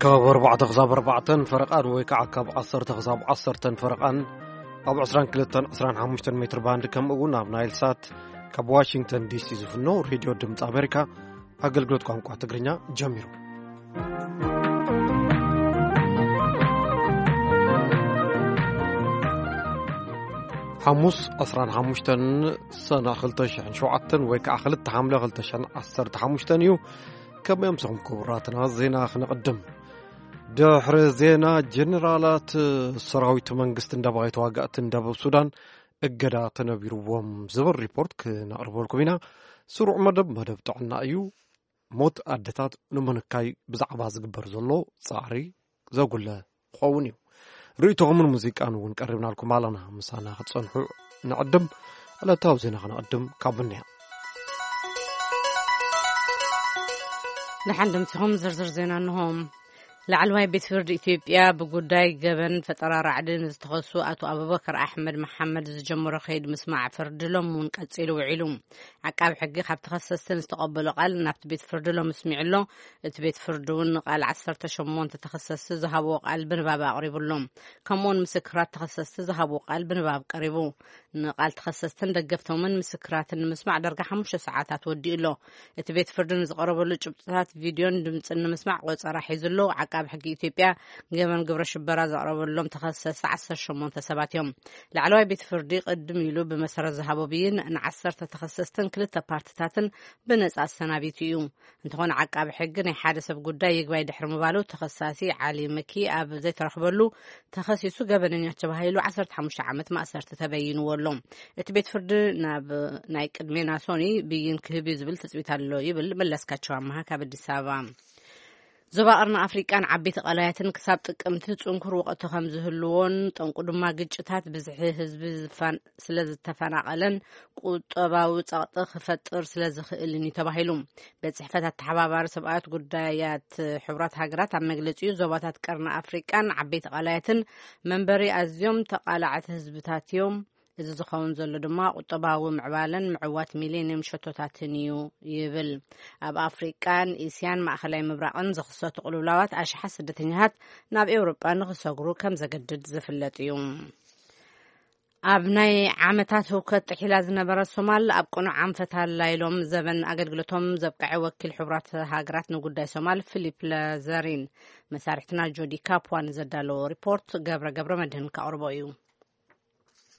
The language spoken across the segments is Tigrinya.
ካብ ኣርባዕተ ክሳብ ኣርባዕተን ፈረቓን ወይ ከዓ ካብ ዓሰርተ ክሳብ ዓሰርተን ፈረቓን ኣብ ዕስራን ክልተን ዕስራን ሓሙሽተን ሜትር ባንድ፣ ከምኡ እውን ኣብ ናይል ሳት ካብ ዋሽንግተን ዲሲ ዝፍኖ ሬድዮ ድምፂ ኣሜሪካ ኣገልግሎት ቋንቋ ትግርኛ ጀሚሩ። ሓሙስ ዕስራን ሓሙሽተን ሰነ ክልተ ሽሕን ሸውዓተን ወይ ከዓ ክልተ ሓምለ ክልተ ሽሕን ዓሰርተ ሓሙሽተን እዩ። ከመይ ኣምሰኹም ክቡራትና? ዜና ክነቕድም። ድሕሪ ዜና፣ ጀነራላት ሰራዊት መንግስትን ደባይ ተዋጋእትን ደቡብ ሱዳን እገዳ ተነቢርዎም ዝብል ሪፖርት ክነቕርበልኩም ኢና። ስሩዕ መደብ፣ መደብ ጥዕና እዩ። ሞት ኣደታት ንምንካይ ብዛዕባ ዝግበር ዘሎ ጻዕሪ ዘጉለ ክኸውን እዩ። ርእይቶኹምን ሙዚቃን እውን ቀሪብናልኩም ኣለና። ምሳና ክትጸንሑ ንዕድም። ዕለታዊ ዜና ክነቕድም ካብ ብንያ። ደሓን ደምሲኹም ዝርዝር ዜና እንሆ። ላዕለዋይ ቤት ፍርዲ ኢትዮጵያ ብጉዳይ ገበን ፈጠራ ራዕዲ ንዝተኸሱ ኣቶ ኣቡበከር ኣሕመድ መሓመድ ዝጀመሮ ከይድ ምስማዕ ፍርዲ ሎም እውን ቀጺሉ ውዒሉ። ዓቃብ ሕጊ ካብ ተኸሰስቲ ዝተቐበሎ ቃል ናብቲ ቤት ፍርዲ ሎም ስሚዑ ኣሎ። እቲ ቤት ፍርዲ እውን ንቃል ዓሰርተ ሸሞንተ ተኸሰስቲ ዝሃብዎ ቃል ብንባብ ኣቕሪቡ ኣሎ። ከምኡውን ምስክራት ተኸሰስቲ ዝሃብዎ ቃል ብንባብ ቀሪቡ። ንቃል ተኸሰስትን ደገፍቶምን ምስክራትን ንምስማዕ ዳርጋ ሓሙሽተ ሰዓታት ወዲኡ ኣሎ። እቲ ቤት ፍርዲ ንዝቐረበሉ ጭብጥታት ቪድዮን ድምፅን ንምስማዕ ቆፀራ ሒዙ ኣሎ። ዓቃብ ሕጊ ኢትዮጵያ ገበን ግብረ ሽበራ ዘቕረበሎም ተኸሰስቲ ዓሰርተ ሸሞንተ ሰባት እዮም። ላዕለዋይ ቤት ፍርዲ ቅድም ኢሉ ብመሰረት ዝሃቦ ብይን ንዓሰርተ ተኸሰስትን ክልተ ፓርትታትን ብነፃ ኣሰናቢቱ እዩ። እንተኾነ ዓቃቢ ሕጊ ናይ ሓደ ሰብ ጉዳይ ይግባይ ድሕሪ ምባሉ ተኸሳሲ ዓሊ መኪ ኣብ ዘይተረኽበሉ ተኸሲሱ ገበነኛ ተባሂሉ ዓሰርተ ሓሙሽተ ዓመት ማእሰርቲ ተበይንዎ ኣሎ። እቲ ቤት ፍርዲ ናብ ናይ ቅድሜና ሶኒ ብይን ክህብ እዩ ዝብል ትጽቢት ኣሎ ይብል መለስካቸው ኣመሃ ካብ ኣዲስ ኣበባ። ዞባ ቀርኒ ኣፍሪቃን ዓበይቲ ቀላያትን ክሳብ ጥቅምቲ ጽንኩር ወቕቲ ከም ዝህልዎን ጠንቁ ድማ ግጭታት ብዝሒ ህዝቢ ዝፋን-፣ ስለ ዝተፈናቐለን ቁጠባዊ ጸቕጢ ክፈጥር ስለ ዝኽእልን እዩ ተባሂሉ። ቤት ጽሕፈት ኣተሓባባሪ ሰብኣት ጉዳያት ሕቡራት ሃገራት ኣብ መግለጺኡ፣ ዞባታት ቀርኒ ኣፍሪቃን ዓበይቲ ቀላያትን መንበሪ ኣዝዮም ተቓላዕቲ ህዝብታት እዮም። እዚ ዝኸውን ዘሎ ድማ ቁጠባዊ ምዕባለን ምዕዋት ሚሌኒየም ሸቶታትን እዩ ይብል። ኣብ ኣፍሪቃን እስያን ማእኸላይ ምብራቕን ዝኽሰቱ ቅልውላዋት ኣሽሓት ስደተኛታት ናብ ኤውሮጳ ንኽሰግሩ ከም ዘገድድ ዝፍለጥ እዩ። ኣብ ናይ ዓመታት ህውከት ጥሒላ ዝነበረት ሶማል ኣብ ቅኑዕ ኣንፈት ኣላ ኢሎም ዘበን ኣገልግሎቶም ዘብቅዐ ወኪል ሕቡራት ሃገራት ንጉዳይ ሶማል ፊሊፕ ለዘሪን። መሳርሕትና ጆዲ ካፕዋ ንዘዳለዎ ሪፖርት ገብረ ገብረ መድህን ከቕርቦ እዩ።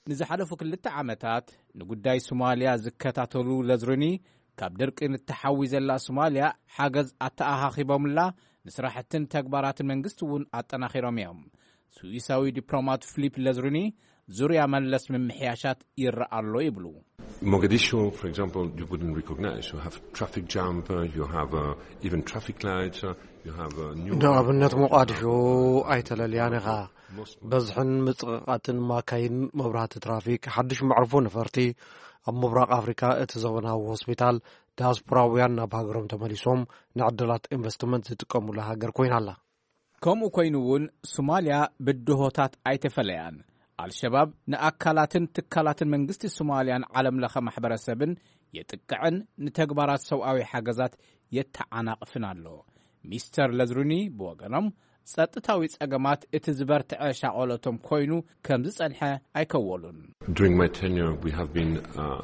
ንዝሓለፉ ክልተ ዓመታት ንጉዳይ ሶማልያ ዝከታተሉ ለዝሪኒ፣ ካብ ድርቂ ንተሓዊ ዘላ ሶማልያ ሓገዝ ኣተኣኻኺቦምላ፣ ንስራሕትን ተግባራትን መንግስቲ እውን ኣጠናኺሮም እዮም። ስዊሳዊ ዲፕሎማት ፊሊፕ ለዝሪኒ፣ ዙርያ መለስ ምምሕያሻት ይረኣ ኣሎ ይብሉ። Mogadishu, for example, you wouldn't recognize. You have traffic jam, uh, you have, uh, even traffic lights, uh, you have, uh, new ንኣብነት ሞቃዲሾ ኣይተለልያን ኢኻ። በዝሕን ምጽቕቓትን ማካይን፣ መብራህቲ ትራፊክ፣ ሓድሽ መዕርፎ ነፈርቲ። ኣብ ምብራቕ ኣፍሪካ እቲ ዘበናዊ ሆስፒታል፣ ዲያስፖራውያን ናብ ሃገሮም ተመሊሶም ንዕድላት ኢንቨስትመንት ዝጥቀሙላ ሃገር ኮይና ኣላ። ከምኡ ኮይኑ እውን ሶማልያ ብድሆታት ኣይተፈለያን። ኣልሸባብ ንኣካላትን ትካላትን መንግስቲ ሶማልያን ዓለም ለኸ ማሕበረሰብን የጥቅዕን ንተግባራት ሰብኣዊ ሓገዛት የተዓናቕፍን ኣሎ። ሚስተር ለዝሩኒ ብወገኖም፣ ጸጥታዊ ጸገማት እቲ ዝበርትዐ ሻቐሎቶም ኮይኑ ከም ዝጸንሐ ኣይከወሉን። During my tenure, we have been, uh,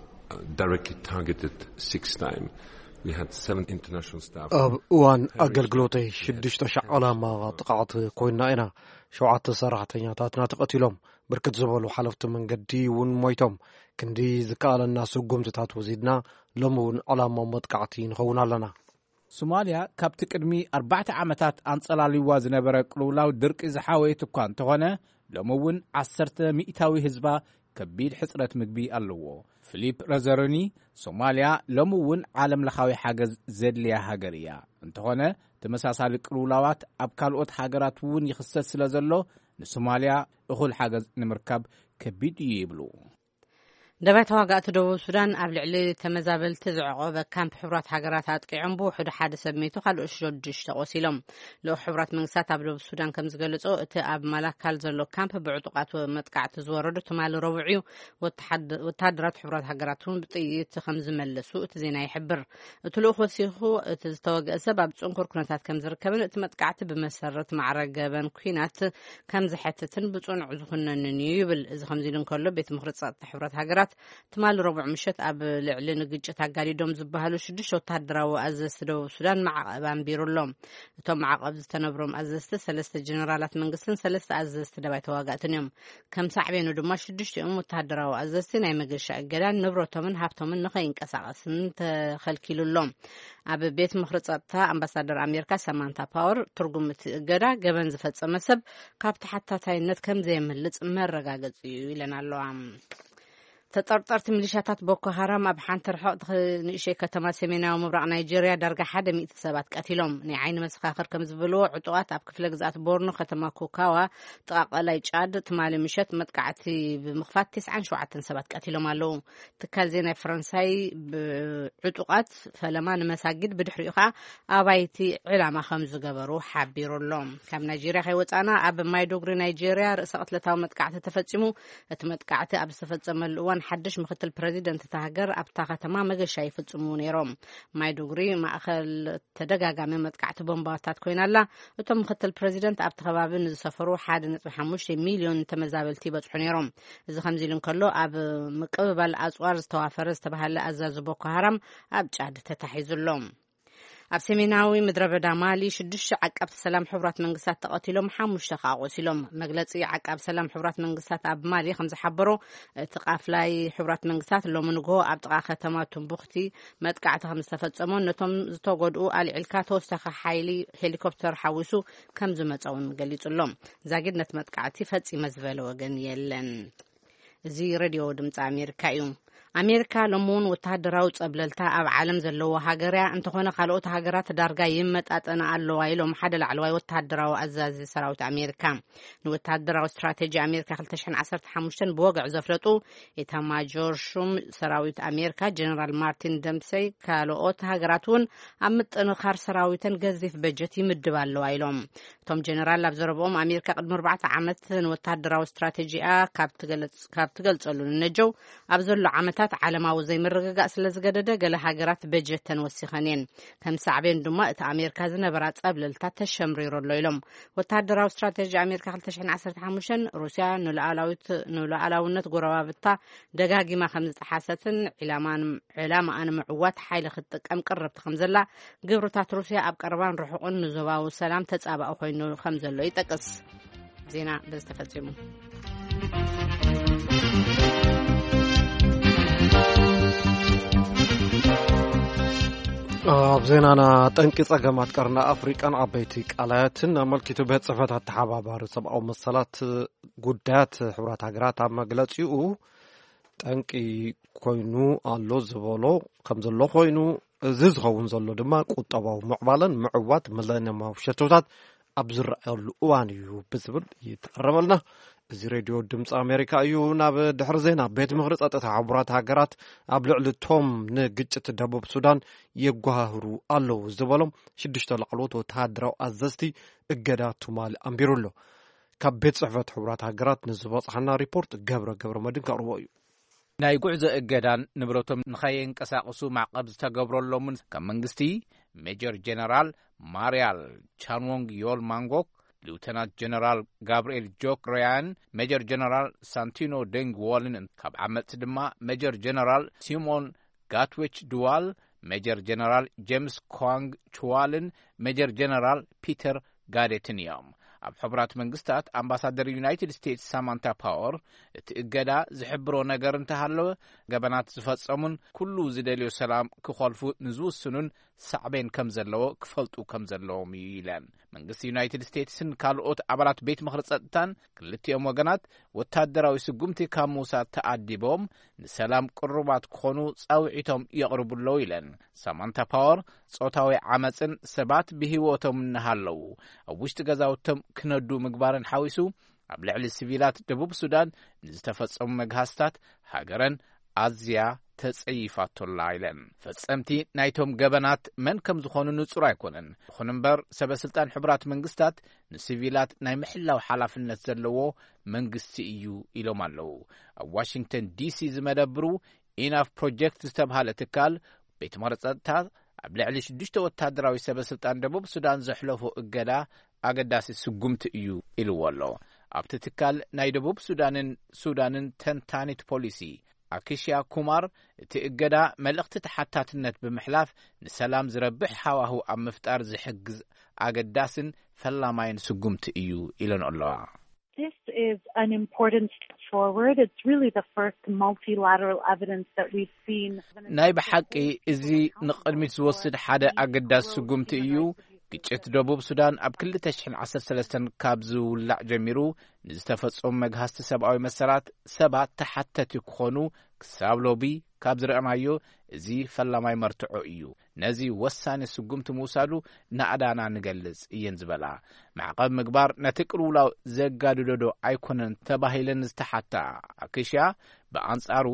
directly targeted six times. We had seven international staff ኣብ እዋን perish ኣገልግሎተይ in ሽዱሽተ ሻዕ ዕላማ ጥቕዓት ኮይንና ኢና። ሸውዓተ ሰራሕተኛታትና ተቐቲሎም፣ ብርክት ዝበሉ ሓለፍቲ መንገዲ እውን ሞይቶም። ክንዲ ዝከኣለና ስጉምትታት ወሲድና፣ ሎሚ እውን ዕላማ መጥቃዕቲ ንኸውን ኣለና። ሶማልያ ካብቲ ቅድሚ ኣርባዕተ ዓመታት ኣንጸላልዋ ዝነበረ ቅልውላው ድርቂ ዝሓወየት እኳ እንተኾነ፣ ሎሚ እውን ዓሰርተ ሚእታዊ ህዝባ ከቢድ ሕጽረት ምግቢ ኣለዎ። ፊሊፕ ረዘሮኒ፣ ሶማልያ ሎሚ እውን ዓለም ለኻዊ ሓገዝ ዘድልያ ሃገር እያ። እንተኾነ፣ ተመሳሳሊ ቅልውላዋት ኣብ ካልኦት ሃገራት እውን ይኽሰት ስለ ዘሎ፣ ንሶማልያ እኹል ሓገዝ ንምርካብ ከቢድ እዩ ይብሉ። ደባይ ተዋጋእቲ ደቡብ ሱዳን ኣብ ልዕሊ ተመዛበልቲ ዝዕቆበ ካምፕ ሕቡራት ሃገራት ኣጥቂዖም ብውሕዱ ሓደ ሰብ ሜቱ፣ ካልኦት ሸዱሽተ ቆሲሎም። ልኡኽ ሕቡራት መንግስታት ኣብ ደቡብ ሱዳን ከም ዝገለጾ፣ እቲ ኣብ ማላካል ዘሎ ካምፕ ብዕጡቓት መጥቃዕቲ ዝወረዱ ትማሊ ረቡዕ እዩ። ወተሓደ-፣ ወተሃደራት ሕቡራት ሃገራት እውን ብጥይት ከም ዝመለሱ እቲ ዜና ይሕብር። እቲ ልኡኽ ወሲኹ፣ እቲ ዝተወግአ ሰብ ኣብ ጽንኩር ኩነታት ከም ዝርከብን እቲ መጥቃዕቲ ብመሰረት ማዕረ ገበን ኲናት ከም ዝሐትትን ብጽኑዕ ዝኹነንን እዩ ይብል። እዚ ከምዚ ኢሉ እንከሎ፣ ቤት ምኽሪ ጸጥታ ሕቡራት ሃገራት ትማሊ ረቡዕ ምሸት ኣብ ልዕሊ ንግጭት ኣጋዲዶም ዝበሃሉ ሽዱሽተ ወተሃደራዊ ኣዘዝቲ ደቡብ ሱዳን ማዕቐብ ኣንቢሩ ኣሎ። እቶም ማዕቐብ ዝተነብሮም ኣዘዝቲ ሰለስተ ጀነራላት መንግስትን ሰለስተ ኣዘዝቲ ደባይ ተዋጋእትን እዮም። ከም ሳዕቤኑ ድማ ሽዱሽቲኦም ወተሃደራዊ ኣዘዝቲ ናይ መገሻ እገዳን ንብረቶምን ሃብቶምን ንኸይንቀሳቐስን ተኸልኪሉ ኣሎ። ኣብ ቤት ምኽሪ ጸጥታ ኣምባሳደር ኣሜሪካ ሳማንታ ፓወር፣ ትርጉም እቲ እገዳ ገበን ዝፈጸመ ሰብ ካብ ተሓታታይነት ከም ዘየምልጽ መረጋገጺ እዩ ኢለን ኣለዋ። ተጠርጠርቲ ሚሊሻታት ቦኮ ሃራም ኣብ ሓንቲ ርሕቕቲ ንእሽተይ ከተማ ሰሜናዊ ምብራቕ ናይጄርያ ዳርጋ ሓደ ሚእቲ ሰባት ቀቲሎም። ናይ ዓይኒ መሰኻኽር ከም ዝበልዎ፣ ዕጡቓት ኣብ ክፍለ ግዝኣት ቦርኖ ከተማ ኮካዋ ጥቓ ቀላይ ጫድ ትማሊ ምሸት መጥቃዕቲ ብምኽፋት ተስዓን ሸውዓተን ሰባት ቀቲሎም ኣለዉ። ትካል ዜና ፈረንሳይ ብዕጡቓት ፈለማ ንመሳጊድ ብድሕሪኡ ኸኣ ኣባይቲ ዕላማ ከም ዝገበሩ ሓቢሩ ኣሎ። ካብ ናይጄርያ ከይወጻና፣ ኣብ ማይዶግሪ ናይጄርያ ርእሰ ቅትለታዊ መጥቃዕቲ ተፈጺሙ። እቲ መጥቃዕቲ ኣብ ዝተፈጸመሉ እዋን ሓድሽ ምክትል ፕረዚደንት እታ ሃገር ኣብታ ከተማ መገሻ ይፍጽሙ ነይሮም። ማይዶግሪ ማእኸል ተደጋጋሚ መጥቃዕቲ ቦምባታት ኮይና ኣላ። እቶም ምክትል ፕረዚደንት ኣብቲ ከባቢ ንዝሰፈሩ ሓደ ነጥቢ ሓሙሽተ ሚልዮን ተመዛበልቲ ይበጽሑ ነይሮም። እዚ ከምዚ ኢሉ እንከሎ፣ ኣብ ምቅብባል ኣጽዋር ዝተዋፈረ ዝተባሃለ ኣዛዚ ቦኮ ሃራም ኣብ ጫድ ተታሒዙ ኣሎ። ኣብ ሰሜናዊ ምድረ በዳ ማሊ ሽዱሽተ ዓቃብቲ ሰላም ሕቡራት መንግስታት ተቐቲሎም፣ ሓሙሽተ ከኣ ቆሲሎም። መግለጺ ዓቃብ ሰላም ሕቡራት መንግስታት ኣብ ማሊ ከም ዝሓበሮ፣ እቲ ቃፍላይ ሕቡራት መንግስታት ሎሚ ንግሆ ኣብ ጥቓ ከተማ ቱምቡክቲ መጥቃዕቲ ከም ዝተፈጸሞን ነቶም ዝተጎድኡ ኣልዒልካ ተወሳኺ ሓይሊ ሄሊኮፕተር ሓዊሱ ከም ዝመጸ እውን ገሊጹ ኣሎ። ዛጊድ ነቲ መጥቃዕቲ ፈጺመ ዝበለ ወገን የለን። እዚ ሬድዮ ድምፂ ኣሜሪካ እዩ። ኣሜሪካ ሎሚ እውን ወተሃደራዊ ጸብለልታ ኣብ ዓለም ዘለዎ ሃገር እያ። እንተኾነ፣ ካልኦት ሃገራት ዳርጋ ይመጣጠና ኣለዋ ኢሎም ሓደ ላዕለዋይ ወተሃደራዊ ኣዛዚ ሰራዊት ኣሜሪካ። ንወተሃደራዊ ስትራቴጂ ኣሜሪካ ክልተ ሽሕን ዓሰርተ ሓሙሽተን ብወግዒ ዘፍለጡ ኤታማጆር ሹም ሰራዊት ኣሜሪካ ጀነራል ማርቲን ደምሰይ፣ ካልኦት ሃገራት እውን ኣብ ምጥንኻር ሰራዊተን ገዚፍ በጀት ይምድባ ኣለዋ ኢሎም። እቶም ጀነራል ኣብ ዘረብኦም፣ ኣሜሪካ ቅድሚ ኣርባዕተ ዓመት ንወተሃደራዊ ስትራቴጂኣ ካብ ትገለጽ-፣ ካብ ትገልጸሉ ንነጀው፣ ኣብ ዘሎ ዓመታት ዓለማዊ ዘይምርግጋእ ስለ ዝገደደ፣ ገለ ሃገራት በጀተን ወሲኸን እየን። ከም ሳዕቤን ድማ፣ እቲ ኣሜሪካ ዝነበራ ጸብለልታ ተሸምሪሩ ኣሎ ኢሎም። ወተሃደራዊ ስትራቴጂ ኣሜሪካ ክልተ ሽሕን ዓሰርተ ሓሙሽተን፣ ሩስያ ንሉዓላዊት-፣ ንሉዓላውነት ጎረባብታ ደጋጊማ ከም ዝጠሓሰትን፣ ዕላማን ዕላማኣ ንምዕዋት ሓይሊ ክትጥቀም ቅርብቲ ከም ዘላ፣ ግብርታት ሩስያ ኣብ ቀረባን ርሑቕን ንዞባዊ ሰላም ተጻባኢ ኮይኑ ከም ዘሎ ይጠቅስ። ዜና በዚ ተፈጺሙ። ኣብ ዜናና፣ ጠንቂ ጸገማት ቀርኒ ኣፍሪቃን ዓበይቲ ቀላያትን ኣመልኪቱ፣ ቤት ጽሕፈት ኣተሓባባሪ ሰብኣዊ መሰላት ጉዳያት ሕቡራት ሃገራት ኣብ መግለጺኡ፣ ጠንቂ ኮይኑ ኣሎ ዝበሎ ከም ዘሎ ኮይኑ፣ እዚ ዝኸውን ዘሎ ድማ ቁጠባዊ ምዕባለን ምዕዋት ሚለንየማዊ ሸቶታት ኣብ ዝረኣየሉ እዋን እዩ ብዝብል ይተረመልና። እዚ ሬድዮ ድምፂ ኣሜሪካ እዩ። ናብ ድሕሪ ዜና፣ ቤት ምኽሪ ጸጥታ ሕቡራት ሃገራት ኣብ ልዕሊ ቶም ንግጭት ደቡብ ሱዳን የጓህሩ ኣለዉ ዝበሎም ሽዱሽተ ላዕለዎት ወተሃደራዊ ኣዘዝቲ እገዳ ትማሊ ኣንቢሩ ኣሎ። ካብ ቤት ጽሕፈት ሕቡራት ሃገራት ንዝበጽሓና ሪፖርት ገብረ ገብረ መድን ከቕርቦ እዩ። ናይ ጉዕዞ እገዳን ንብረቶም ንኸየንቀሳቕሱ ማዕቐብ ዝተገብረሎምን ካብ መንግስቲ፣ ሜጀር ጀነራል ማርያል ቻንዎንግ ዮል ማንጎክ፣ ሊውተናንት ጀነራል ጋብርኤል ጆክ ሮያን፣ ሜጀር ጀነራል ሳንቲኖ ደንግ ዎልን፣ ካብ ዓመጽቲ ድማ ሜጀር ጀነራል ሲሞን ጋትዌች ድዋል፣ ሜጀር ጀነራል ጄምስ ኳንግ ቹዋልን ሜጀር ጀነራል ፒተር ጋዴትን እዮም። ኣብ ሕቡራት መንግስታት ኣምባሳደር ዩናይትድ ስቴትስ ሳማንታ ፓወር፣ እቲ እገዳ ዝሕብሮ ነገር እንተሃለወ፣ ገበናት ዝፈጸሙን ኩሉ ዝደልዮ ሰላም ክኸልፉ ንዝውስኑን ሳዕቤን ከም ዘለዎ ክፈልጡ ከም ዘለዎም እዩ ኢለን። መንግስቲ ዩናይትድ ስቴትስን ካልኦት ኣባላት ቤት ምኽሪ ጸጥታን ክልቲኦም ወገናት ወታደራዊ ስጉምቲ ካብ ምውሳድ ተኣዲቦም ንሰላም ቅሩባት ክኾኑ ጻውዒቶም የቕርቡ ኣለዉ ኢለን። ሳማንታ ፓወር፣ ጾታዊ ዓመጽን ሰባት ብህይወቶም እናሃለዉ ኣብ ውሽጢ ገዛውቶም ክነዱ ምግባርን ሓዊሱ፣ ኣብ ልዕሊ ሲቪላት ደቡብ ሱዳን ንዝተፈጸሙ መግሃስታት ሃገረን ኣዝያ ተጸይፋቶላ ኢለን። ፈጸምቲ ናይቶም ገበናት መን ከም ዝኾኑ ንጹር ኣይኮነን። ይኹን እምበር፣ ሰበ ስልጣን ሕቡራት መንግስታት ንሲቪላት ናይ ምሕላው ሓላፍነት ዘለዎ መንግስቲ እዩ ኢሎም ኣለዉ። ኣብ ዋሽንግተን ዲሲ ዝመደብሩ ኢናፍ ፕሮጀክት ዝተብሃለ ትካል፣ ቤት ማሕተም ጸጥታ ኣብ ልዕሊ ሽዱሽተ ወታደራዊ ሰበ ስልጣን ደቡብ ሱዳን ዘሕለፎ እገዳ ኣገዳሲ ስጉምቲ እዩ ኢልዎ ኣሎ። ኣብቲ ትካል ናይ ደቡብ ሱዳንን ሱዳንን ተንታኒት ፖሊሲ ኣኪሽያ ኩማር፣ እቲ እገዳ መልእኽቲ ተሓታትነት ብምሕላፍ ንሰላም ዝረብሕ ሃዋህው ኣብ ምፍጣር ዝሕግዝ ኣገዳስን ፈላማይን ስጉምቲ እዩ ኢለን ኣለዋ። This is an important step forward. It's really the first multilateral evidence that we've seen. ናይ ብሓቂ እዚ ንቕድሚት ዝወስድ ሓደ ኣገዳሲ ስጉምቲ እዩ። ግጭት ደቡብ ሱዳን ኣብ ክልተ ሽሕን ዓሰርተ ሰለስተን ካብ ዝውላዕ ጀሚሩ ንዝተፈጸሙ መግሃስቲ ሰብኣዊ መሰላት ሰባት ተሓተቲ ክኾኑ ክሳብ ሎቢ ካብ ዝረኣናዮ እዚ ፈላማይ መርትዖ እዩ። ነዚ ወሳኒ ስጉምቲ ምውሳዱ ናእዳና ንገልጽ እየን ዝበላ። ማዕቐብ ምግባር ነቲ ቅልውላው ዘጋድዶ ዶ ኣይኮነን ተባሂለን ዝተሓታ ኣክሽያ፣ ብኣንጻሩ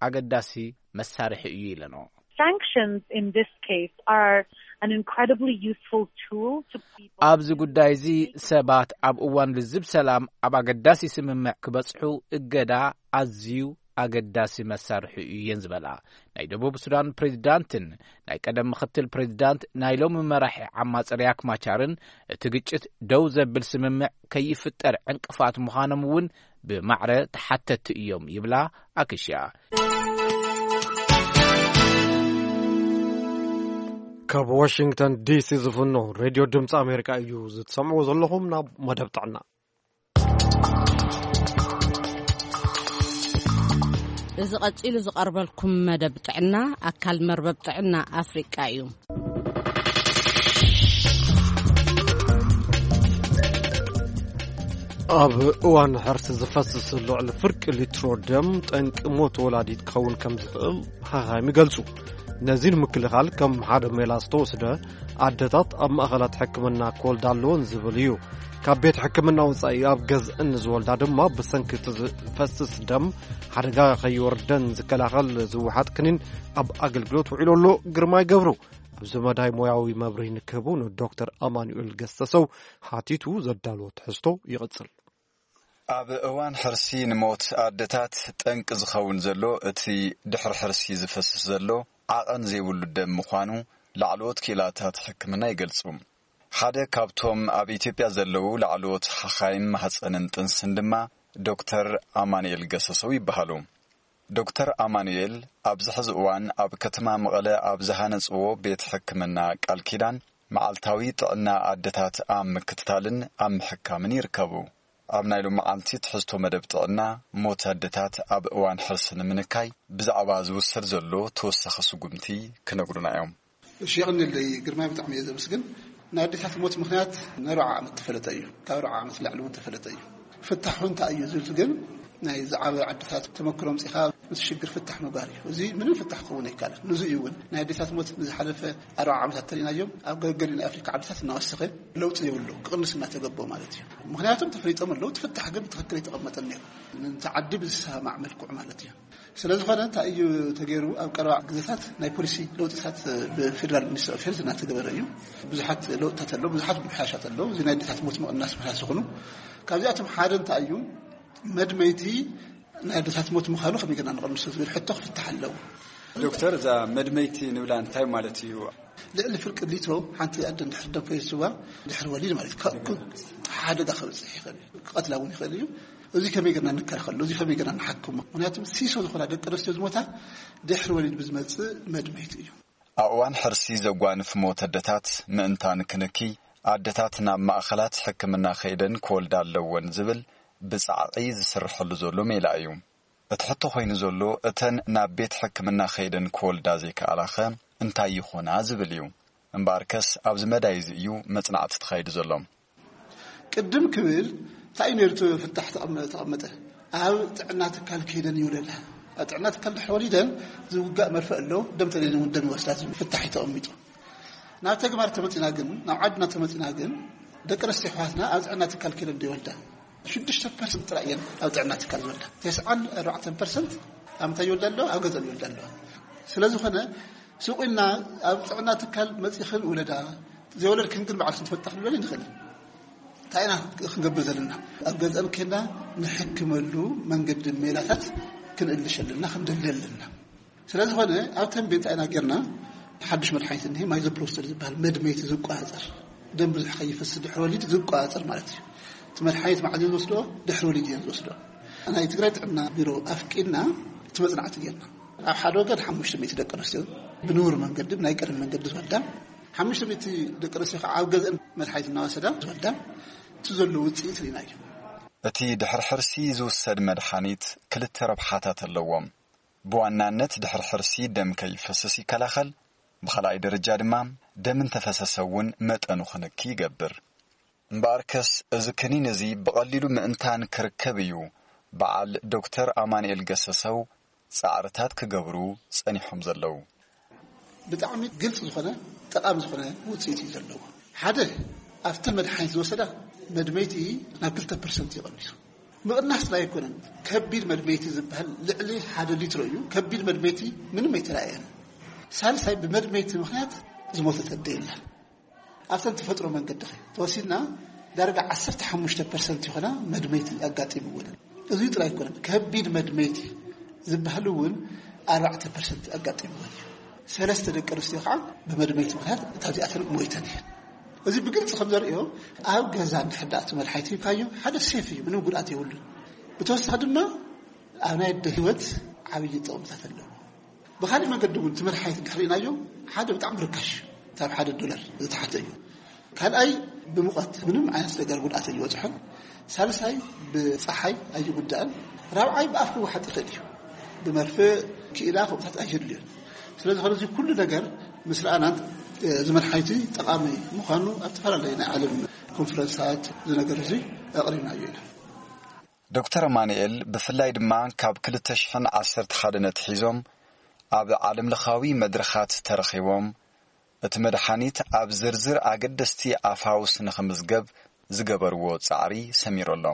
ኣገዳሲ መሳርሒ እዩ ኢለኖ። Sanctions in this case are an incredibly useful tool to people ኣብዚ ጉዳይ እዚ ሰባት ኣብ እዋን ልዝብ ሰላም ኣብ ኣገዳሲ ስምምዕ ክበጽሑ እገዳ ኣዝዩ ኣገዳሲ መሳርሒ እዩ እየን ዝበላ። ናይ ደቡብ ሱዳን ፕሬዚዳንትን ናይ ቀደም ምኽትል ፕሬዚዳንት ናይ ሎሚ መራሒ ዓማጺ ሪያክ ማቻርን እቲ ግጭት ደው ዘብል ስምምዕ ከይፍጠር ዕንቅፋት ምዃኖም እውን ብማዕረ ተሓተቲ እዮም ይብላ ኣክሽያ። ካብ ዋሽንግተን ዲሲ ዝፍኖ ሬድዮ ድምፂ ኣሜሪካ እዩ ዝትሰምዕዎ ዘለኹም። ናብ መደብ ጥዕና። እዚ ቀጺሉ ዝቐርበልኩም መደብ ጥዕና ኣካል መርበብ ጥዕና ኣፍሪቃ እዩ። ኣብ እዋን ሕርሲ ዝፈስስ ልዕሊ ፍርቂ ሊትሮ ደም ጠንቂ ሞት ወላዲት ክኸውን ከም ዝኽእል ሓኻይም ይገልጹ። ነዚ ንምክልኻል ከም ሓደ ሜላ ዝተወስደ ኣደታት ኣብ ማእኸላት ሕክምና ክወልዳ ኣለወን ዝብል እዩ። ካብ ቤት ሕክምና ወጻኢ ኣብ ገዝአን ዝወልዳ ድማ ብሰንኪ እቲ ዝፈስስ ደም ሓደጋ ከይወርደን ዝከላኸል ዝወሓጥ ክኒን ኣብ ኣገልግሎት ውዒሉ ኣሎ። ግርማይ ገብሩ ኣብዚ መዳይ ሞያዊ መብርሂ ንክህቡ ንዶክተር ኣማኑኤል ገሰሰው ሓቲቱ ዘዳልዎ ትሕዝቶ ይቕጽል። ኣብ እዋን ሕርሲ ንሞት ኣደታት ጠንቂ ዝኸውን ዘሎ እቲ ድሕሪ ሕርሲ ዝፈስስ ዘሎ ዓቐን ዘይብሉ ደም ምዃኑ ላዕለዎት ክኢላታት ሕክምና ይገልጹ። ሓደ ካብቶም ኣብ ኢትዮጵያ ዘለዉ ላዕለዎት ሓኻይም ማህጸንን ጥንስን ድማ ዶክተር ኣማኑኤል ገሰሰው ይበሃሉ። ዶክተር ኣማኑኤል ኣብዚ ሕዚ እዋን ኣብ ከተማ መቐለ ኣብ ዝሃነጽዎ ቤት ሕክምና ቃል ኪዳን መዓልታዊ ጥዕና ኣደታት ኣብ ምክትታልን ኣብ ምሕካምን ይርከቡ። ኣብ ናይ ሎሚ መዓልቲ ትሕዝቶ መደብ ጥዕና፣ ሞት ኣደታት ኣብ እዋን ሕርሲ ንምንካይ ብዛዕባ ዝውሰድ ዘሎ ተወሳኺ ስጉምቲ ክነግሩና እዮም። እሺ፣ የቐንየለይ ግርማይ፣ ብጣዕሚ እየ ዘመስግን። ናይ ኣዴታት ሞት ምኽንያት ንኣርብዓ ዓመት ተፈለጠ እዩ። ካብ ኣርብዓ ዓመት ንላዕሊ እውን ተፈለጠ እዩ። ፍታሑ እንታይ እዩ ዝብል ግን ናይ ዝዓበየ ዓድታት ተመክሮ ኣምጺኻ ምስ ሽግር ፍታሕ ምግባር እዩ። እዚ ምንም ፍታሕ ክኸውን ኣይከኣልን። ንዚ እዩ እውን ናይ ኣዴታት ሞት ንዝሓለፈ ኣርብዓ ዓመታት ተሪእናዮም ኣብ ገገሊ ናይ ኣፍሪካ ዓድታት እናወሰኸ ለውጢ የብሉ፣ ክቕንስ እናተገበኦ ማለት እዩ። ምኽንያቱም ተፈሊጦም ኣለዉ፣ እቲ ፍታሕ ግን ብትኽክል ኣይተቐመጠን ነይሩ። ነቲ ዓዲ ብዝሰማማዕ መልክዑ ማለት እዩ። ስለ ዝኾነ እንታይ እዩ ተገይሩ? ኣብ ቀረባ ግዜታት ናይ ፖሊሲ ለውጥታት ብፌደራል ሚኒስትሪ ኦፍ ሄልዝ እናተገበረ እዩ። ብዙሓት ለውጥታት ኣለዉ፣ ብዙሓት ምምሕያሻት ኣለዉ። እዚ ናይ ኣዴታት ሞት ምቕናስ ምኽንያት ዝኾኑ ካብዚኣቶም ሓደ እንታይ እዩ? መድመይቲ ናይ ኣዴታት ሞት ምዃኑ ከመይ ጌርና ንቐንሶ ዝብል ሕቶ ክፍታሕ ኣለዎ። ዶክተር፣ እዛ መድመይቲ ንብላ እንታይ ማለት እዩ? ልዕሊ ፍርቂ ሊትሮ ሓንቲ ኣደ እንድሕር ደም ፈሲስዋ ድሕሪ ወሊድ ማለት እዩ፣ ካብ ሓደጋ ከብፅሕ ይኽእል እዩ። ክቐትላ እውን ይኽእል እዩ። እዚ ከመይ ጌርና ንከላኸሎ? እዚ ከመይ ጌርና ንሓክሞ? ምክንያቱ ሲሶ ዝኾና ደቂ ኣንስትዮ ዝሞታ ድሕሪ ወሊድ ብዝመፅእ መድመይቲ እዩ። ኣብ እዋን ሕርሲ ዘጓንፍ ሞት ኣደታት ምእንታን ክንኪ፣ ኣደታት ናብ ማእኸላት ሕክምና ከይደን ክወልዳ ኣለወን ዝብል ብጻዕቒ ዝስርሐሉ ዘሎ ሜላ እዩ። እቲ ሕቶ ኮይኑ ዘሎ፣ እተን ናብ ቤት ሕክምና ከይደን ክወልዳ ዘይከኣላኸ እንታይ ይኾና ዝብል እዩ። እምበኣርከስ ኣብዚ መዳይ እዚ እዩ መጽናዕቲ ተኻይዱ ዘሎ። ቅድም ክብል እንታይ እዩ ነይሩ እቲ ፍታሕ ተቐመ-፣ ተቐመጠ? ኣብ ጥዕና ትካል ከይደን ይውለዳ። ኣብ ጥዕና ትካል ድሕሪ ወሊደን ዝውጋእ መርፍእ ኣሎ፣ ደም ተደልየን እውን ደም ይወስዳ ዝብል ፍታሕ እዩ ተቐሚጡ። ናብ ተግባር ተመጺና ግን፣ ናብ ዓድና ተመጺና ግን፣ ደቂ ኣንስትዮ ኣሕዋትና ኣብ ጥዕና ትካል ከይደን ዶ ይወልዳ? ሽዱሽተ ፐርሰንት ጥራይ እየን ኣብ ጥዕና ትካል ዝወልዳ። ተስዓን ኣርባዕተን ፐርሰንት ኣምታ ይወልዳ ኣለዋ፣ ኣብ ገጸን ይወልዳ ኣለዋ። ስለ ዝኾነ ሱቕ ኢልና ኣብ ጥዕና ትካል መጺኽን ውለዳ፣ ዘይወለድክን ግን ባዕልክን ትፈልጣ ክንብል ንኽእል። እንታይ ኢና ክንገብር ዘለና? ኣብ ገጸን ኬና ንሕክመሉ መንገዲ ሜላታት ክንእልሽ ኣለና፣ ክንደሊ ኣለና። ስለ ዝኾነ ኣብ ተንቤን እንታይ ኢና ጌርና? ሓድሽ መድሓኒት እኒሄ፣ ማይዞፕሮስተል ዝበሃል መድመይቲ ዝቆጻጸር፣ ደም ብዙሕ ከይፈስስ ድሕሪ ወሊድ ዝቆጻጸር ማለት እዩ። እቲ መድሓኒት መዓዝ እየን ዝወስድኦ? ድሕሪ ወሊድ እየን ዝወስድኦ። ናይ ትግራይ ጥዕና ቢሮ ኣፍቂድና እቲ መጽናዕቲ ጌርና። ኣብ ሓደ ወገን ሓሙሽተ ሚእቲ ደቂ ኣንስትዮ ብንቡር መንገዲ፣ ብናይ ቀደም መንገዲ ዝወልዳ፣ ሓሙሽተ ሚእቲ ደቂ ኣንስትዮ ከዓ ኣብ ገዝአን መድሓኒት እናወሰዳ ዝወልዳ፣ እቲ ዘሎ ውፅኢት ርኢናዮ። እቲ ድሕሪ ሕርሲ ዝውሰድ መድሓኒት ክልተ ረብሓታት ኣለዎም። ብዋናነት ድሕሪ ሕርሲ ደም ከይፈስስ ይከላኸል፣ ብኻልኣይ ደረጃ ድማ ደም እንተፈሰሰ እውን መጠኑ ክንኪ ይገብር። እምበኣርከስ እዚ ክኒን እዚ ብቐሊሉ ምእንታን ክርከብ እዩ፣ በዓል ዶክተር ኣማኑኤል ገሰሰው ጻዕርታት ክገብሩ ጸኒሖም ዘለዉ። ብጣዕሚ ግልፂ ዝኾነ ጠቓሚ ዝኾነ ውፅኢት እዩ ዘለዎ። ሓደ፣ ኣብተን መድሓኒት ዝወሰዳ መድመይቲ ናብ ክልተ ፐርሰንት ይቐንሱ። ምቕናስ ጥራይ ኣይኮነን፣ ከቢድ መድመይቲ ዝበሃል ልዕሊ ሓደ ሊትሮ እዩ። ከቢድ መድመይቲ ምንም ኣይተራእየን። ሳልሳይ፣ ብመድመይቲ ምኽንያት ዝሞተት ኣደ የላን። ኣብተን ተፈጥሮ መንገዲ ኸ ተወሲድና ዳርጋ ዓሰርተ ሓሙሽተ ፐርሰንት ይኾና መድመይቲ ኣጋጢምወን። እዚ ጥራይ ኣይኮነን፣ ከቢድ መድመይቲ ዝበሃል እውን ኣርባዕተ ፐርሰንት ኣጋጢምወን እዩ። ሰለስተ ደቂ ኣንስትዮ ከዓ ብመድመይቲ ምኽንያት እታ እዚኣተን ሞይተን እየን። እዚ ብግልፂ ከም ዘርእዮ፣ ኣብ ገዛ እንድሕር ደኣ እቲ መድሓኒት ሂብካዮ ሓደ ሴፍ እዩ፣ ምንም ጉድኣት የብሉን። ብተወሳኺ ድማ ኣብ ናይ ኣደ ህይወት ዓብዪ ጥቕምታት ኣለዎ። ብኻሊእ መገዲ እውን እቲ መድሓኒት እንድሕር ርኢናዮ ሓደ ብጣዕሚ ርካሽ እዩ፣ ካብ ሓደ ዶላር ዝተሓተ እዩ። ካልኣይ ብሙቐት ምንም ዓይነት ነገር ጉድኣት ኣይወፅሖን። ሳልሳይ ብፀሓይ ኣይጉዳእን። ራብዓይ ብኣፍ ክወሓጥ ይኽእል እዩ። ብመርፍእ ክኢላ ከምኡታት ኣየድልዮን። ስለዚ ኸዚ ኩሉ ነገር ምስ ረኣናን እዚ መድሓኒት ጠቓሚ ምዃኑ ኣብ ዝተፈላለዩ ናይ ዓለም ኮንፈረንሳት እዚ ነገር እዚ ኣቕሪብናዮ ኢና። ዶክተር ኣማኑኤል ብፍላይ ድማ ካብ ክልተ ሽሕን ዓሰርተ ሓደን ኣትሒዞም ኣብ ዓለምለኻዊ መድረኻት ተረኺቦም እቲ መድሓኒት ኣብ ዝርዝር ኣገደስቲ ኣፋውስ ንኽምዝገብ ዝገበርዎ ጻዕሪ ሰሚሩ ኣሎ።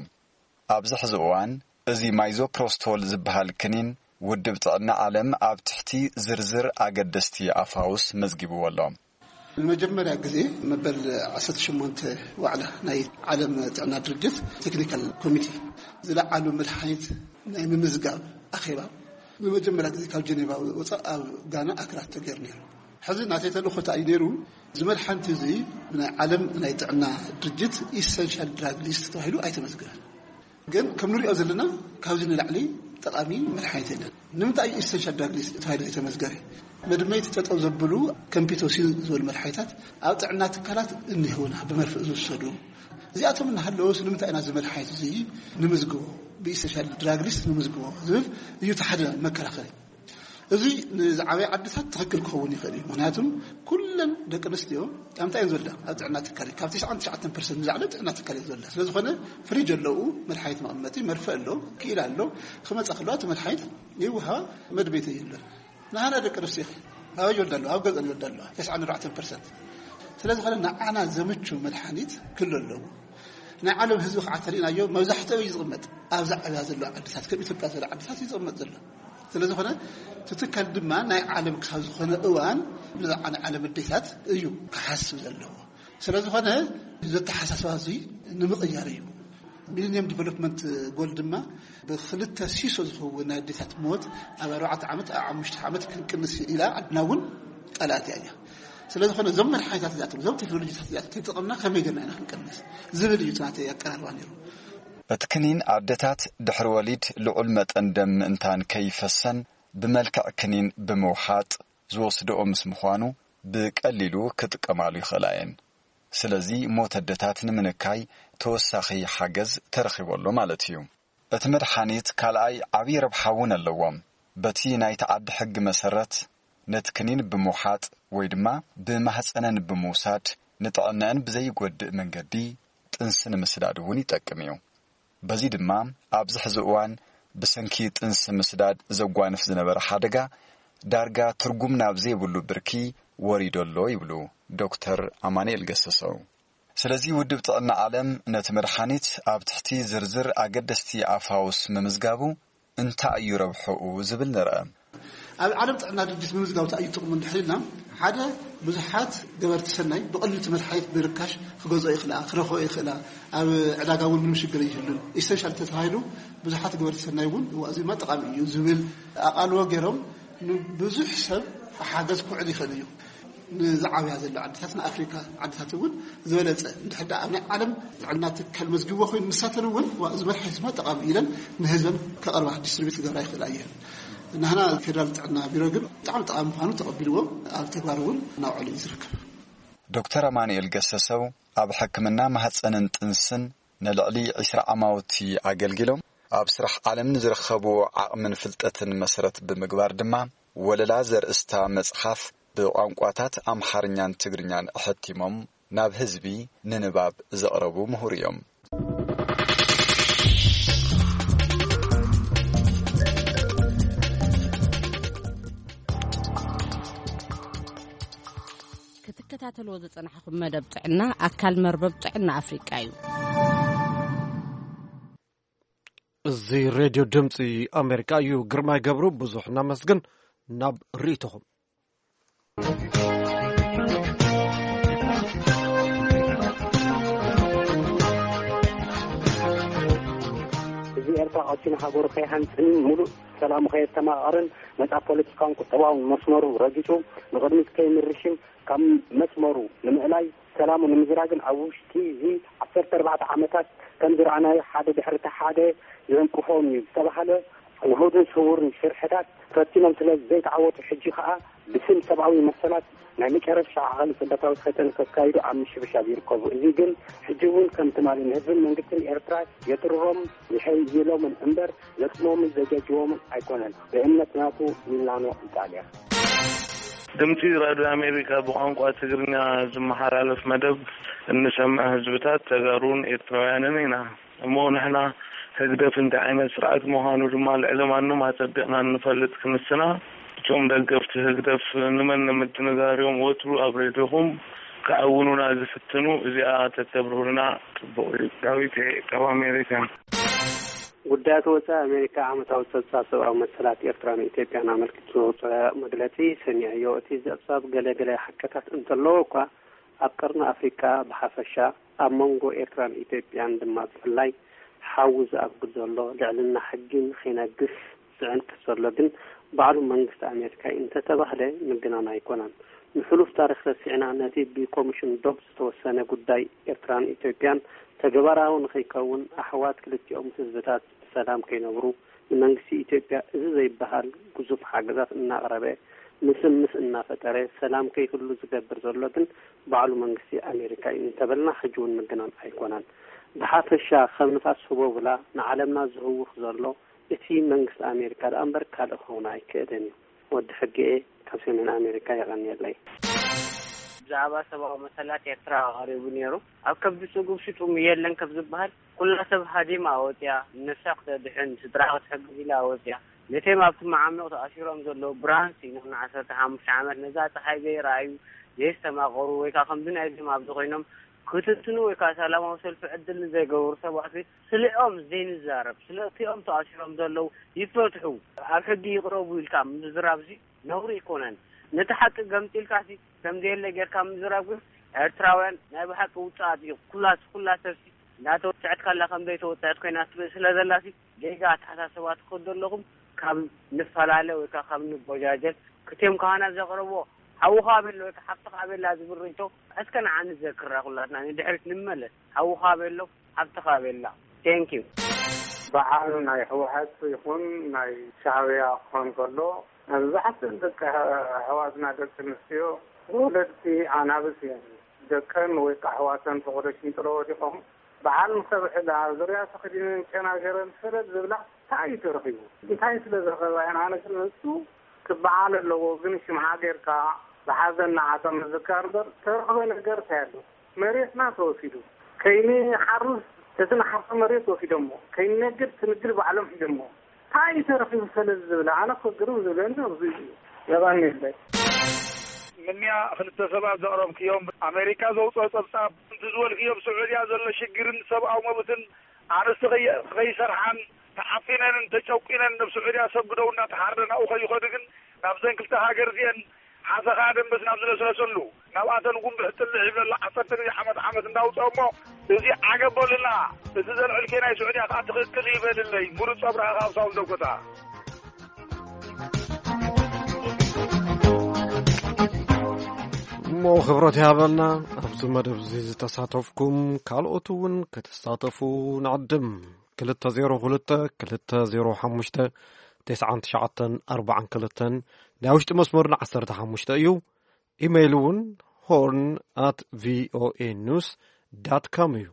ኣብዚ ሕዚ እዋን እዚ ማይዞፕሮስቶል ዝበሃል ክኒን ውድብ ጥዕና ዓለም ኣብ ትሕቲ ዝርዝር ኣገደስቲ ኣፋውስ መዝጊብዎ ኣሎ። ንመጀመርያ ግዜ መበል ዓሰርተ ሸሞንተ ዋዕላ ናይ ዓለም ጥዕና ድርጅት ቴክኒካል ኮሚቴ ዝለዓሉ መድሓኒት ናይ ምምዝጋብ ኣኼባ ንመጀመርያ ግዜ ካብ ጀኔቫ ወፃእ ኣብ ጋና ኣክራ ተገይሩ ነይሩ። ሕዚ ናተይ ተልእኾ እንታይ እዩ ነይሩ? እዚ መድሓኒት እዚ ብናይ ዓለም ናይ ጥዕና ድርጅት ኢሰንሻል ድራግ ሊስት ተባሂሉ ኣይተመዝገበን። ግን ከም ንሪኦ ዘለና ካብዚ ንላዕሊ ጠቓሚ መድሓኒት የለን። ንምንታይ እዩ ኢሰንሻል ድራግ ሊስት ተባሂሉ ዘይተመዝገበ? መድመይቲ ጠጠው ዘብሉ ከምፒቶሲን ዝበሉ መድሓኒታት ኣብ ጥዕና ትካላት እኒህውና ብመርፍእ ዝውሰዱ። እዚኣቶም እናሃለወስ ንምንታይ ኢና እዚ መድሓኒት እዚ ንምዝግቦ፣ ብኢሰንሻል ድራግ ሊስት ንምዝግቦ ዝብል እዩ እቲ ሓደ መከራኸሪ። እዚ ንዝዓበየ ዓድታት ትኽክል ክኸውን ይኽእል እዩ። ምክንያቱም ኩለን ደቂ ኣንስትዮ ኣብ እንታይ እየን ዝወልዳ? ኣብ ጥዕና ትካል እዩ። ካብ ትስዓን ትሽዓተን ፐርሰንት ንላዕሊ ኣብ ጥዕና ትካል እየን ዝወልዳ። ስለ ዝኾነ ፍሪጅ ኣለዉ፣ መድሓኒት መቐመጢ፣ መርፍእ ኣሎ፣ ክኢላ ኣሎ። ክመጻ ከለዋ እቲ መድሓኒት ይወሃባ፣ መድቤት የለን። ንሃና ደቂ ኣንስትዮ ኸ ኣበይ ይወልዳ ኣለዋ? ኣብ ገዝአን ይወልዳ ኣለዋ፣ ተስዓን ኣርባዕተን ፐርሰንት። ስለ ዝኾነ ንዓና ዘምቹ መድሓኒት ክህሉ ኣለዎ። ናይ ዓለም ህዝቢ ከዓ ተሪእናዮ መብዛሕትኡ እዩ ዝቕመጥ። ኣብዛ ዕብያ ዘለዋ ዓድታት ከም ኢትዮጵያ ዝበላ ዓድታት እዩ ዝቕመጥ ዘሎ። ስለ ዝኾነ እቲ ትካል ድማ ናይ ዓለም ካብ ዝኾነ እዋን ብዛዕባ ናይ ዓለም ኣዴታት እዩ ክሓስብ ዘለዎ። ስለ ዝኾነ እዚ ኣተሓሳስባ እዚ ንምቕያር እዩ። ሚሊኒየም ዲቨሎፕመንት ጎል ድማ ብክልተ ሲሶ ዝኸውን ናይ ኣዴታት ሞት ኣብ ኣርባዕተ ዓመት ኣብ ሓሙሽተ ዓመት ክንቅንስ ኢላ ዓድና እውን ቃል ኣትያ እያ። ስለ ዝኾነ እዞም መድሓኒታት እዚኣቶም እዞም ቴክኖሎጂታት እዚኣቶም ተጠቐምና ከመይ ጌርና ኢና ክንቀንስ ዝብል እዩ እቲ ናተይ ኣቀራርባ ነይሩ። እቲ ክኒን ኣደታት ድሕሪ ወሊድ ልዑል መጠን ደም ምእንታን ከይፈሰን ብመልክዕ ክኒን ብምውሓጥ ዝወስድኦ ምስ ምዃኑ ብቀሊሉ ክጥቀማሉ ይኽእላ እየን። ስለዚ ሞት ኣደታት ንምንካይ ተወሳኺ ሓገዝ ተረኺቡ ኣሎ ማለት እዩ። እቲ መድሓኒት ካልኣይ ዓብዪ ረብሓ እውን ኣለዎ። በቲ ናይቲ ዓዲ ሕጊ መሰረት ነቲ ክኒን ብምውሓጥ ወይ ድማ ብማህፀነን ብምውሳድ ንጥዕነአን ብዘይጎድእ መንገዲ ጥንሲ ንምስዳድ እውን ይጠቅም እዩ። በዚ ድማ ኣብዚ ሕዚ እዋን ብሰንኪ ጥንሲ ምስዳድ ዘጓንፍ ዝነበረ ሓደጋ ዳርጋ ትርጉም ናብ ዘይብሉ ብርኪ ወሪዶ ኣሎ ይብሉ ዶክተር ኣማኑኤል ገሰሰው። ስለዚ ውድብ ጥዕና ዓለም ነቲ መድሓኒት ኣብ ትሕቲ ዝርዝር ኣገደስቲ ኣፋውስ ምምዝጋቡ እንታይ እዩ ረብሕኡ ዝብል ንርአ። ኣብ ዓለም ጥዕና ድርጅት ምምዝጋብ እንታይ እዩ ጥቕሙ እንድሕር ኢልና፣ ሓደ፣ ብዙሓት ገበርቲ ሰናይ ብቐሊል እቲ መድሓኒት ብርካሽ ክገዝኦ ይኽእላ፣ ክረኽቦ ይኽእላ፣ ኣብ ዕዳጋ እውን ምንም ሽግር ይህሉን። ኢሰንሻል ተተባሂሉ ብዙሓት ገበርቲ ሰናይ እውን፣ "እዋ፣ እዚ ድማ ጠቓሚ እዩ" ዝብል ኣቓልቦ ገይሮም፣ ንብዙሕ ሰብ ሓገዝ ክውዕል ይኽእል እዩ። ንዝዓብያ ዘሎ ዓድታት፣ ንኣፍሪካ ዓድታት እውን ዝበለፀ፣ እንድሕር ደኣ ኣብ ናይ ዓለም ጥዕና ትካል መዝጊብዎ ኮይኑ፣ ንሳተን እውን፣ "ዋ፣ እዚ መድሓኒት ድማ ጠቓሚ" ኢለን ንህዝበን ከቐርባ፣ ዲስትሪቢዩት ክገብራ ይኽእላ እየን። ናህና ፌደራል ጥዕና ቢሮ ግን ብጣዕሚ ጠቓሚ ምዃኑ ተቐቢልዎ ኣብ ተግባር እውን እናውዓሉ እዩ ዝርከብ። ዶክተር ኣማኑኤል ገሰሰው ኣብ ሕክምና ማህፀንን ጥንስን ንልዕሊ ዕስራ ዓማውቲ ኣገልጊሎም፣ ኣብ ስራሕ ዓለም ንዝረኸብዎ ዓቕምን ፍልጠትን መሰረት ብምግባር ድማ፣ ወለላ ዘርእስታ መጽሓፍ ብቋንቋታት ኣምሓርኛን ትግርኛን ኣሐቲሞም ናብ ህዝቢ ንንባብ ዘቕረቡ ምሁር እዮም። ክትከታተልዎ ዝጸናሕኹም መደብ ጥዕና ኣካል መርበብ ጥዕና ኣፍሪቃ እዩ። እዚ ሬድዮ ድምፂ ኣሜሪካ እዩ። ግርማይ ገብሩ፣ ብዙሕ እናመስግን። ናብ ርእይቶኹም። እዚ ኤርትራ ቀጢኑ ሃገሩ ከይሃንጽን ሙሉእ ሰላሙ ከየተማቐርን ነጻ ፖለቲካውን ቁጠባውን መስመሩ ረጊጹ ንቕድሚት ከይምርሽን ካብ መስመሩ ንምእላይ ሰላሙ ንምዝራግን ኣብ ውሽጢ እዚ ዓሰርተ ኣርባዕተ ዓመታት ከም ዝረኣናዮ ሓደ ድሕሪ እቲ ሓደ ዘንቅፎም እዩ ዝተባህለ ውሁድን ስውርን ሽርሕታት ፈቲኖም ስለ ዘይተዓወቱ ሕጂ ከኣ ብስም ሰብኣዊ መሰላት ናይ መጨረሻ ዓቐሊ ጽንተታዊ ፈተነ ከካይዱ ኣብ ምሽብሻብ ይርከቡ። እዚ ግን ሕጂ እውን ከም ትማሊ ንህዝብን መንግስትን ኤርትራ የጥርሮም ይሕይሎምን እምበር ዘጥሞምን ዘጃጅቦምን ኣይኮነን። ብእምነት ናቱ ሚላኖ ኢጣልያ። ድምፂ ራድዮ ኣሜሪካ ብቋንቋ ትግርኛ ዝመሓላለፍ መደብ እንሰምዕ ህዝብታት ተጋሩን ኤርትራውያንን ኢና። እሞ ንሕና ህግደፍ እንታይ ዓይነት ስርዓት ምዃኑ ድማ ልዕሊ ማንም ኣጸቢቕና እንፈልጥ ክንስና፣ እቶም ደገፍቲ ህግደፍ ንመን ንምድንጋር እዮም ወትሩ ኣብ ሬድዮኹም ክዕውኑና ዝፍትኑ? እዚኣ ተተብርሁልና ጽቡቕ እዩ። ዳዊት ካብ ኣሜሪካ። ጉዳያት ወጻኢ ኣሜሪካ ዓመታዊ ጸብጻብ ሰብኣዊ መሰላት ኤርትራን ኢትዮጵያን ኣመልኪቱ ዘውጽኦ መግለጺ ሰሚዐዮ። እቲ ጸብጻብ ገለ ገለ ሓቅታት እንተለዎ እኳ፣ ኣብ ቀርኒ ኣፍሪቃ ብሓፈሻ፣ ኣብ መንጎ ኤርትራን ኢትዮጵያን ድማ ብፍላይ፣ ሓዊ ዝኣጉድ ዘሎ፣ ልዕልና ሕጊ ንኸይነግስ ዝዕንቅፍ ዘሎ ግን ባዕሉ መንግስቲ ኣሜሪካ እዩ እንተተባህለ ምግናን ኣይኮነን። ንሕሉፍ ታሪኽ ረሲዕና፣ ነቲ ብኮሚሽን ዶብ ዝተወሰነ ጉዳይ ኤርትራን ኢትዮጵያን ተግባራዊ ንኸይከውን፣ ኣሕዋት ክልቲኦም ህዝብታት ብሰላም ከይነብሩ፣ ንመንግስቲ ኢትዮጵያ እዚ ዘይበሃል ግዙፍ ሓገዛት እናቕረበ፣ ምስምስ እናፈጠረ፣ ሰላም ከይህሉ ዝገብር ዘሎ ግን ባዕሉ መንግስቲ ኣሜሪካ እዩ እንተበልና፣ ሕጂ እውን ምግናን ኣይኮነን። ብሓፈሻ፣ ከም ንፋስ ህቦብላ ንዓለምና ዝህውኽ ዘሎ እቲ መንግስቲ ኣሜሪካ ደኣ እምበር ካልእ ክኸውን ኣይክእልን እዩ። ወዲ ሕጊ እየ፣ ካብ ሰሜን ኣሜሪካ፣ የቐንየለይ። ብዛዕባ ሰብኣዊ መሰላት ኤርትራ ቀሪቡ ነይሩ። ኣብ ከብዲ ስጉብ ሽጡም የለን ከም ዝበሃል፣ ኩላ ሰብ ሃዲማ ወጽያ፣ ንነፍሳ ክተድሕን፣ ስድራ ክትሕግዝ ኢላ ወጽያ። ነቶም ኣብቲ መዓሙቕ ተኣሲሮም ዘለዉ፣ ብርሃን ስኢኖም ንዓሰርተ ሓሙሽተ ዓመት ነዛ ጸሓይ ዘይረኣዩ፣ ዘየስተማቐሩ፣ ወይ ከኣ ከምዚ ናይዞም ኣብዚ ኮይኖም ክትንትኑ ወይ ከኣ ሰላማዊ ሰልፊ ዕድል ንዘይገበሩ ሰባት ቤት ስሊዖም ዘይንዛረብ፣ ስለቲኦም ተኣሲሮም ዘለዉ ይፈትሑ፣ ኣብ ሕጊ ይቕረቡ ኢልካ ምዝራብሲ ነውሪ ኣይኮነን። ነቲ ሓቂ ገምጢልካሲ ከም ዘየለ ጌርካ ምዝራብ ግን ኤርትራውያን ናይ ብሓቂ ውጽኣት እዩ። ኩላ፣ ኩላ ሰብሲ እንዳተወጽዐት ካላ ከም ዘይተወጽዐት ኮይና ትርኢ ስለ ዘላሲ ጌጋ ኣተሓሳስባ ትኸዱ ኣለኹም። ካብ ንፈላለ ወይ ከኣ ካብ ንቦጃጀል ክቴም ካህናት ዘቕረብዎ ሓውኻ ኣበሎ ወይ ከኣ ሓፍትኻ ኣበላ ዝብል ርእይቶ እስከ ንዓ ንዘክራ ኩላትና ንድሕሪት ንመለስ። ሓውኻ ኣበሎ ሓፍትኻ ኣበላ። Thank you። በዓል ናይ ህወሓት ይኹን ናይ ሻዕብያ ክኾን ከሎ፣ መብዛሕትእን ደቂ ኣሕዋትና ደቂ ኣንስትዮ ወለድቲ ኣናብስ እየን። ደቀን ወይ ከዓ ኣሕዋተን ፈቐዶ ሽንጥሮ ወዲቖም፣ በዓል ምሰብሕላ፣ ዙርያ ተኸዲነን ጨና ገይረን ሰለል ዝብላ፣ እንታይ እዩ ተረኺቡ? እንታይ ስለ ዝረኸባ እየን? ኣነ ግን ንሱ ክበዓል ኣለዎ፣ ግን ሽምዓ ጌርካ ብሓዘን ንዓቶም ምዝካር እምበር፣ ተረኽበ ነገር እንታይ ኣሎ? መሬትና ተወሲዱ። ከይንሓርስ እቲ ንሓርሶ መሬት ወሲዶሞ፣ ከይንነግድ እቲ ንግድ ባዕሎም ሒዞሞ። እንታይ እዩ ተረኺቡ ሰለዚ ዝብል? ኣነ እኮ ግርም ዝብለኒ ኣብዚ እዩ። የቐንየለይ። ምንያ ክልተ ሰባት ዘቕረብክዮም፣ ኣሜሪካ ዘውፅኦ ፀብፃብ፣ እቲ ዝበልክዮም ስዑድያ ዘሎ ሽግርን ሰብኣዊ መብትን፣ ኣንስቲ ከይ-፣ ከይሰርሓን ተዓፊነንን ተጨቁነን ናብ ስዑድያ ሰግደው እናተሓረደ ናብኡ ከይኸዱ ግን ናብዘን ክልተ ሃገር እዚአን ሓሰኻ ደንበስ ናብ ዝለስለሰሉ ናብኣተን ጉንብሕ ጥልሕ ይብለላ ዓሰርተ ግዜ ዓመት ዓመት እንዳውፅኦ እሞ እዚ ዓገብ በሉና። እቲ ዘልዕልኬ ናይ ስዑድያ ከዓ ትኽክል ይበልለይ። ምሩፅ ኣብርሃ ካብ ሳውል ደጎታ። እሞ ክብረት ይሃበልና። ኣብዚ መደብ እዚ ዝተሳተፍኩም ካልኦት እውን ክትሳተፉ ንዕድም። ክልተ ዜሮ ክልተ ክልተ ዜሮ ሓሙሽተ ተስዓን ትሽዓተን ኣርባዓን ክልተን ናይ ውሽጢ መስመርና ዓሰርተ ሓሙሽተ እዩ። ኢሜይል እውን ሆርን ኣት ቪኦኤ ኒውስ ዳት ካም እዩ።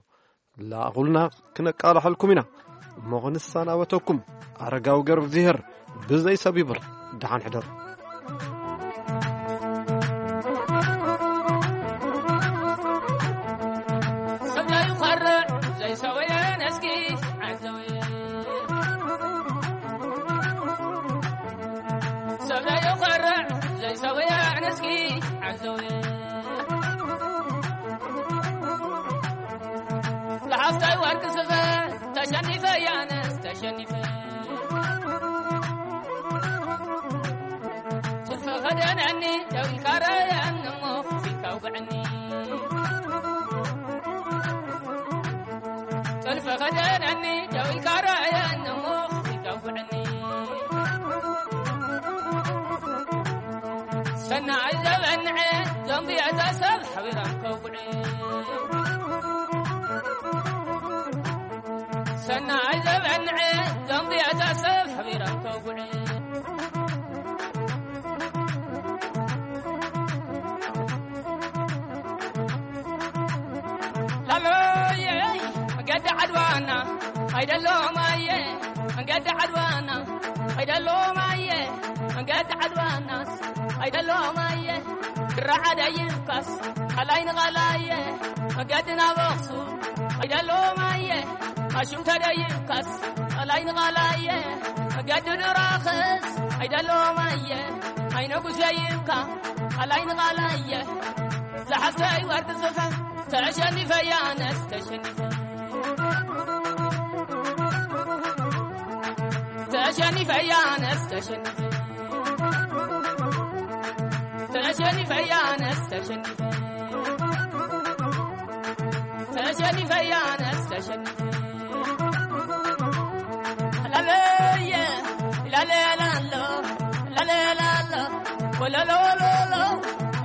ላእኹልና ክነቃላሐልኩም ኢና። እሞ ክንሰናበተኩም ኣረጋዊ ገርብዝሄር ብዘይ ሰብ ይብር። ደሓን ሕደሩ። ሰብ ዘይኮርዕ ዘይሰውየ ነስኪ ዓዘውየ ሰብ ዘይኮርዕ ዘይሰውየ ነስኪ ዓዘውየ ዝሓፍታይ ወርቂ ስፈ ተሸኒፈ ያነስ ተሸኒፈ ጥልፈ ከደነኒ ደው ኢልካ ረኣየኒ እሞ ፊትካ ውግዐኒ ጥልፈ ከደነኒ ደው ኢልካ ረኣየኒ እሞ ፊትካ ውግዐኒ ሰናይ ዘበንዐ ዞምቢ እዛ ሰብ ሓቢሮም ከውግዑ ሰናይ ዘበንዐ ዞምቢ እዛ ሰብ ሓቢሮም ከውግዑ ላሎየ መገዲ ዓድዋና ኣይደሎማየ መገዲ ዓድዋና ኣይደሎማየ መገዲ ዓድዋናስ ኣይደሎማየ ድራዓደ ይብካስ ቃላይ ንቓላየ መገዲ ናብ ኣኽሱም ኣይደሎማየ ኣሹም ተደይብካስ ቃላይ ንቓላየ መገዲ ድራኸስ ኣይደሎማየ ኣይነጉስ ደይብካ ቃላይ ንቓላየ ዝሓፍተይ ወርቂ ጽፈ ተሸኒፈ ያነስ ተሸኒፈ ተሸኒፈ ያነስ ተሸኒፈ ተሸኒፈ ያነስ ተሸኒፈ ተሸኒፈ ያነስ ተሸኒፈ ላለየ ላለላሎ ላለላሎ ወለሎሎሎ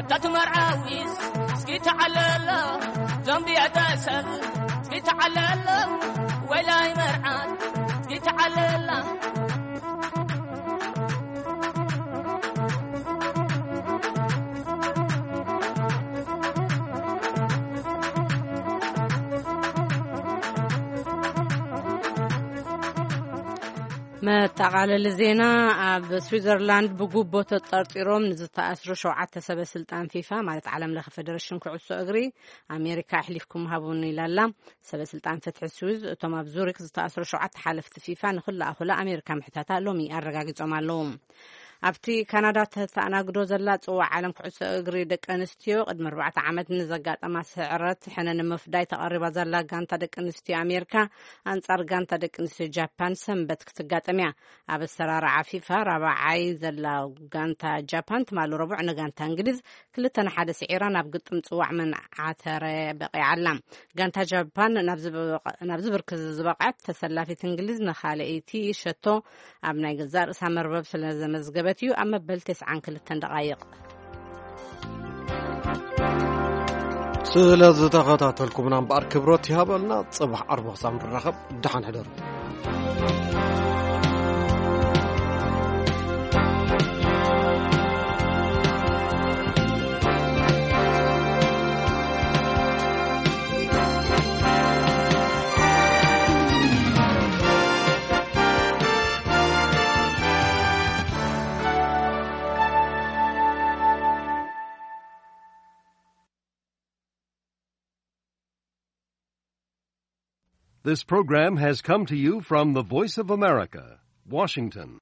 እታ ትመርዓዊስ እስኪ ተዓለሎ ዞምቢ እታ ሰብ እስኪ ተዓለሎ ወላይ መርዓት እስኪ ተዓለላ መጠቓለሊ ዜና። ኣብ ስዊዘርላንድ ብጉቦ ተጠርጢሮም ንዝተኣስሩ ሸውዓተ ሰበ ስልጣን ፊፋ ማለት ዓለም ለኸ ፌደሬሽን ኩዕሶ እግሪ ኣሜሪካ ኣሕሊፍኩም ሃቡኒ ኢላላ። ሰበ ስልጣን ፍትሒ ስዊዝ እቶም ኣብ ዙሪክ ዝተኣስሩ ሸውዓተ ሓለፍቲ ፊፋ ንክለኣኹላ ኣሜሪካ ምሕታታ ሎሚ ኣረጋጊጾም ኣለዉ። ኣብቲ ካናዳ ተተኣናግዶ ዘላ ጽዋዕ ዓለም ኩዕሶ እግሪ ደቂ ኣንስትዮ ቅድሚ ኣርባዕተ ዓመት ንዘጋጠማ ስዕረት ሕነ ንምፍዳይ ተቐሪባ ዘላ ጋንታ ደቂ ኣንስትዮ ኣሜሪካ ኣንጻር ጋንታ ደቂ ኣንስትዮ ጃፓን ሰንበት ክትጋጠም እያ። ኣብ ኣሰራርዓ ፊፋ ራብዓይ ዘላ ጋንታ ጃፓን ትማሊ ረቡዕ ንጋንታ እንግሊዝ ክልተ ንሓደ ስዒራ ናብ ግጥም ጽዋዕ መንዓተረ በቒዓ ኣላ። ጋንታ ጃፓን ናብ ዝበቐ- ናብዚ ብርኪ ዝበቕዐት ተሰላፊት እንግሊዝ ንኻልኣይቲ ሸቶ ኣብ ናይ ገዛእ ርእሳ መርበብ ስለ ዘመዝገበት እዩ ኣብ መበል ተስዓን ክልተን ደቓይቕ። ስለ ዝተኸታተልኩምና እምበኣር ክብረት ይሃበልና። ጽባሕ ዓርቢ ክሳብ ንራኸብ ደሓን ሕደሩ። This program has come to you from the Voice of America, Washington.